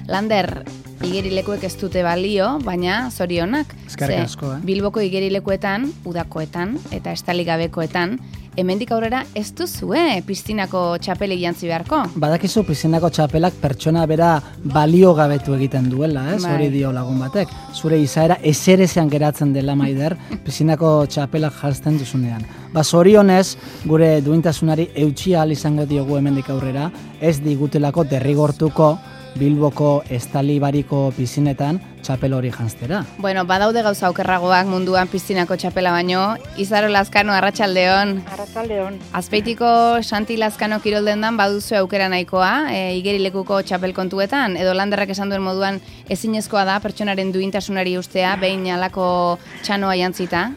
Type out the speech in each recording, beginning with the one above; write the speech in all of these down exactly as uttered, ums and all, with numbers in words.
Lander, igerilekuek ez dute balio, baina zorionak. Eskerrik asko, eh? Bilboko igerilekuetan, udakoetan eta estalik gabekoetan, hemendik aurrera ez duzue piztinako txapelik jantzi beharko. Badakizu piztinako txapelak pertsona bera balio gabetu egiten duela, ez? Bai. Hori dio lagun batek. Zure izaera ezerezean geratzen dela, Maider, piztinako txapelak jartzen duzunean. Ba, zorionez, gure duintasunari eutsi ahal izango diogu hemendik aurrera, ez digutelako derrigortuko Bilboko estalibariko pizinetan txapel hori janztera. Bueno, badaude gauza okerragoak munduan piztinako txapela baino. Izaro Lazkano, arratsaldeon. Arratsaldeon. Azpeitiko Santi Lazkano kiroldendan baduzu aukera nahikoa, e, igerilekuko txapel kontuetan, edo Landerrak esan duen moduan ezinezkoa da pertsonaren duintasunari ustea, behin alako txanoa jantzita?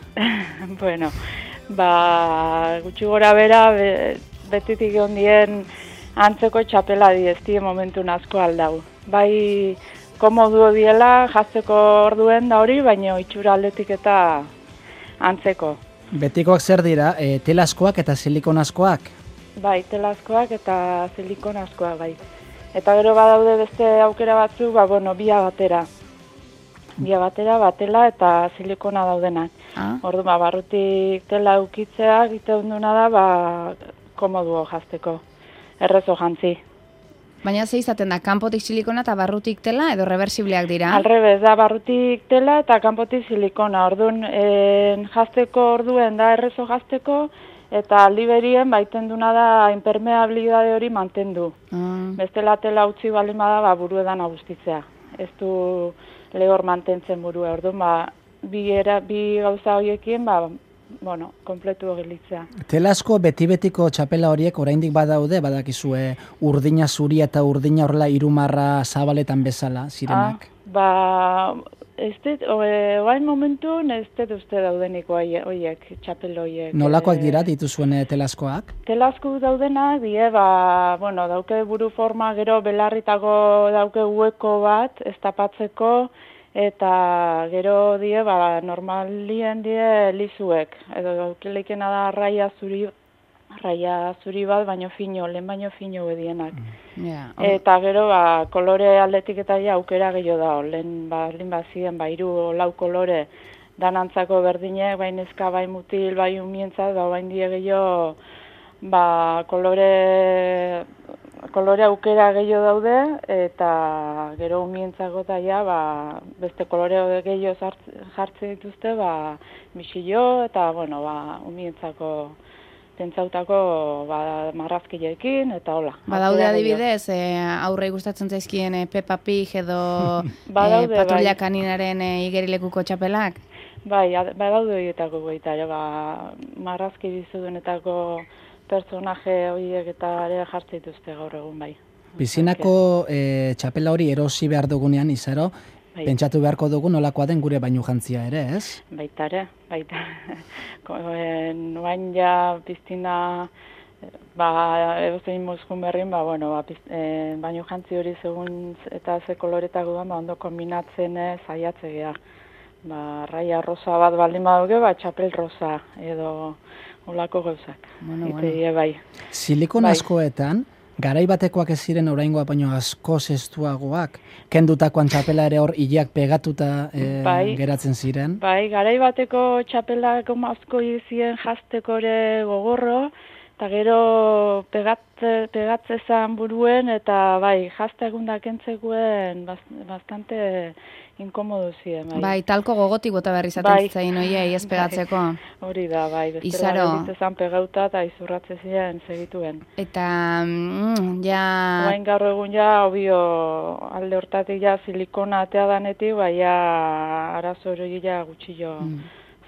Bueno, ba, gutxi gora bera, be, betitik ondien antzeko txapela dieztie momentu asko aldau. Bai, komodu diela jazteko orduen da hori, baina itxura aldetik eta antzeko. Betikoak zer dira, e, telazkoak eta silikonazkoak? Bai, telazkoak eta silikonazkoak, bai. Eta gero badaude beste aukera batzu, ba, bueno, bia batera. Bia batera, batela eta silikona daudenak. Ah. Ordu, ba, barrutik tela ukitzea, egiten duna da, ba, komoduo jazteko. Errezo jantzi. Baina ze izaten da, kanpotik silikona eta barrutik tela edo reversibleak dira? Alrebez, da barrutik tela eta kanpotik silikona. Orduan, en, jazteko orduen da errezo jazteko eta liberien baiten duna da impermeabilidade hori mantendu. Ah. Bestela tela utzi balin bada, ba, buruedan agustitzea. Ez du lehor mantentzen burua. Orduan, ba, bi, era, bi gauza horiekin, ba, bueno, kompletu gelitzea. Telazko beti-betiko txapela horiek oraindik badaude, badakizue urdina zuri eta urdina horrela irumarra zabaletan bezala zirenak. Ah, ba, ez dut, oain momentun ez dut uste daudenik horiek, txapel horiek. Nolakoak dira dituzuen telazkoak? Telazko daudenak, die, ba, bueno, dauke buru forma, gero belarritako dauke hueko bat, ez tapatzeko, eta gero die, ba, normalien die lizuek, edo daukelikena da raia zuri, raia zuri bat, baino fino, lehen baino fino bedienak. Yeah. Eta gero, ba, kolore aldetik eta ja aukera gehiago da, lehen ba, lehen bazien, ba, hiru lau kolore danantzako berdinek, bai neska, bai mutil, bai umientzat, ba, bain die gehiago, ba, kolore kolore aukera gehiago daude, eta gero umientzako eta ja, ba, beste kolore gehiago jartzen dituzte, ba, misillo, eta, bueno, ba, umientzako pentsautako ba, marrazkileekin, eta hola. Badaude adibidez, e, aurre gustatzen zaizkien e, Peppa Pig edo badaude, e, Patrulla bai. Kaninaren e, igerilekuko txapelak? Bai, badaude horietako goita, ba, marrazki bizudunetako personaje horiek eta ere jartzen dituzte gaur egun, bai. Pizinako e, txapela hori erosi behar dugunean, Izaro, bai. Pentsatu beharko dugu nolakoa den gure bainu jantzia ere, ez? Baita ere, baita. Noain ja piztina, ba, edozein mozkun berrin, ba, bueno, ba, e, bainu jantzi hori segun eta ze koloretako da, ba, ondo kombinatzen saiatze geha. Ba, raia rosa bat baldin baduke, ba, txapel rosa edo olako gauzak. Bueno, Ite, bueno. bai. Silikon bai. askoetan, garai batekoak ez ziren oraingoa baino asko zestuagoak, kendutakoan txapela ere hor hileak pegatuta e, bai. geratzen ziren. Bai, garai bateko txapelak asko izien jazteko ere gogorro, eta gero pegatze, pegatzezan buruen, eta bai, jazte egundak entzekuen bastante inkomodu ziren. Bai, Bai, talko gogotik bota behar izaten Bai. zitzaien oiei ez pegatzeko. hori da, bai, Izaro. bestela ditzezan pegauta eta izurratze ziren segituen. Eta, mm, ja... Oain gaur egun ja, obio, alde hortatik ja silikona atea danetik, bai, ja, arazo hori ja gutxillo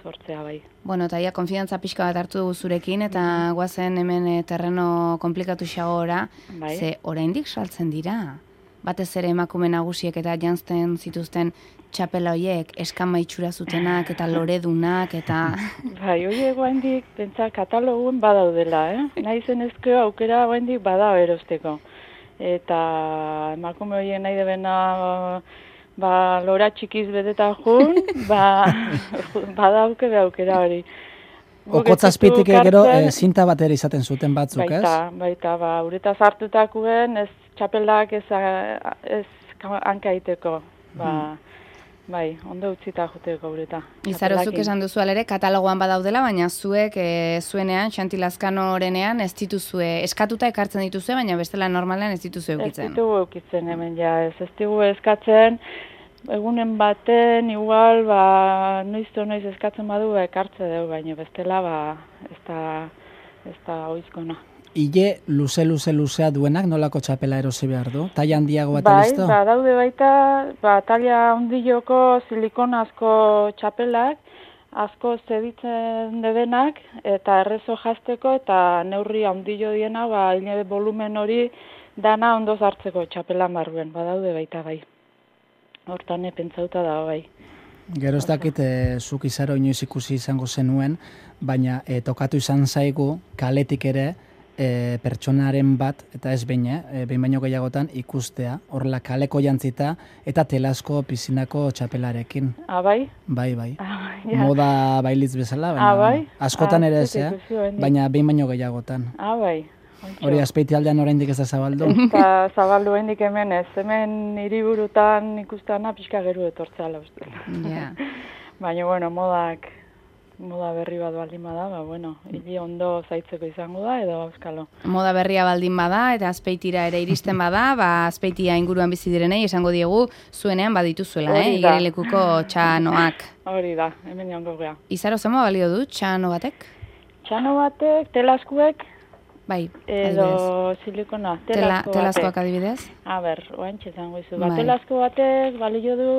sortzea, bai. Bueno, eta ja, konfidantza pixka bat hartu dugu zurekin, eta guazen hemen e, terreno komplikatu xagora, Bai. ze oraindik saltzen dira. Batez ere emakume nagusiek eta jantzten zituzten txapela hoiek, eskama itxura zutenak eta loredunak eta... Bai, hori egoendik, pentsa, katalogun badaudela, eh? Naizen ezkeo aukera egoendik bada erosteko. Eta emakume horien nahi debena, ba, lora txikiz beteta jun, ba, badauke be aukera hori. Okotzazpitik gero e, zinta bat ere izaten zuten batzuk, ez? Baita, baita, ba, uretaz hartutakuen, ez txapelak ez, ez hankaiteko, ba, bai, ondo utzita juteko ureta. Izaro, zuk esan duzu alere, katalogoan badaudela, baina zuek e, zuenean, Xanti Lazkanorenean, ez dituzue, eskatuta ekartzen dituzue, baina bestela normalean ez dituzue eukitzen. Ez ditugu eukitzen hemen, ja, ez, ez ditugu eskatzen, egunen baten, igual, ba, noizto noiz eskatzen badu, ekartze dugu, baina bestela, ba, ez da, ez da oizkona. Ile luze luze luzea duenak nolako txapela erosi behar du? Taila handiago bat bai, listo? Bai, ba, daude baita, ba, taila handiloko silikonazko txapelak, asko zeditzen dedenak, eta errezo jazteko, eta neurri handilo diena, ba, hile volumen hori dana ondo hartzeko txapelan barruen, ba, daude baita bai. Hortan pentsauta da, bai. Gero ez dakit, e, zuk Izaro inoiz ikusi izango zenuen, baina e, tokatu izan zaigu kaletik ere, E, pertsonaren bat, eta ez behin, e, behin baino gehiagotan ikustea, horrela kaleko jantzita eta telasko pizinako txapelarekin. Ah, bai? Bai, bai. Ah, ja. Moda bailitz bezala, baina ah, bai? askotan ah, ere ez, eh? baina behin baino gehiagotan. Ah, bai. Hori Azpeiti aldean oraindik ez da zabaldu? Eta zabaldu oraindik hemen ez, hemen hiriburutan ikustana pixka geru etortzea uste. Ja. Baina, bueno, modak moda berri bat baldin bada, ba, bueno, hili ondo zaitzeko izango da, edo auskalo. Moda berria baldin bada, eta Azpeitira ere iristen bada, ba, Azpeitia inguruan bizi direnei, esango diegu, zuenean badituzuela, eh? Igerilekuko txanoak. Hori da, hemen jongo gea. Izaro, zema balio du, txano batek? Txano batek, telaskuek, bai, edo silikona, telasko Tela, batek. Telaskoak adibidez? A ber, oantxe zango izu, ba, telasko batek balio du,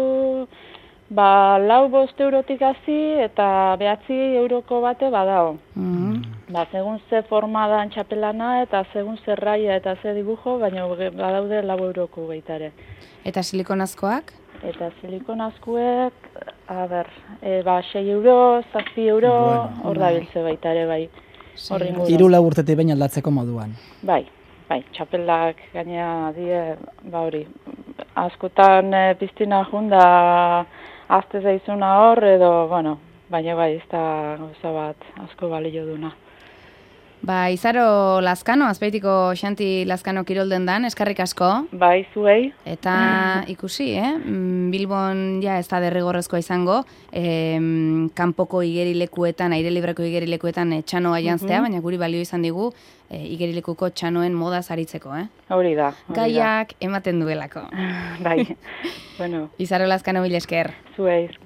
ba, lau bost eurotik hasi eta behatzi euroko bate badao. Mm -hmm. Ba, segun ze forma da txapelana eta segun ze raia eta ze dibujo, baina badaude lau euroko baitare. Eta silikonazkoak? Eta silikonazkoek, a ber, e, ba, sei euro, zazpi euro, hor bueno, da biltze baitare, bai. Hiru lau urtetik behin aldatzeko moduan. Bai, bai, txapelak gainea die, ba hori, askotan e, piztina junda azte zaizuna hor, edo, bueno, baina bai, ez da gauza bat asko balio duna. Ba, Izaro Lazkano, Azpeitiko Xanti Lazkano kirolden dan, eskarrik asko. Bai, zuei. Eta ikusi, eh? Bilbon ja ez da derrigorrezkoa izango, eh, kanpoko igerilekuetan, aire libreko igerilekuetan eh, txanoa jantztea, baina guri balio izan digu eh, igerilekuko txanoen modaz aritzeko, eh? Hori da. Hori Gaiak ematen duelako. Bai, bueno. Izaro Lazkano, mil esker. Zuei.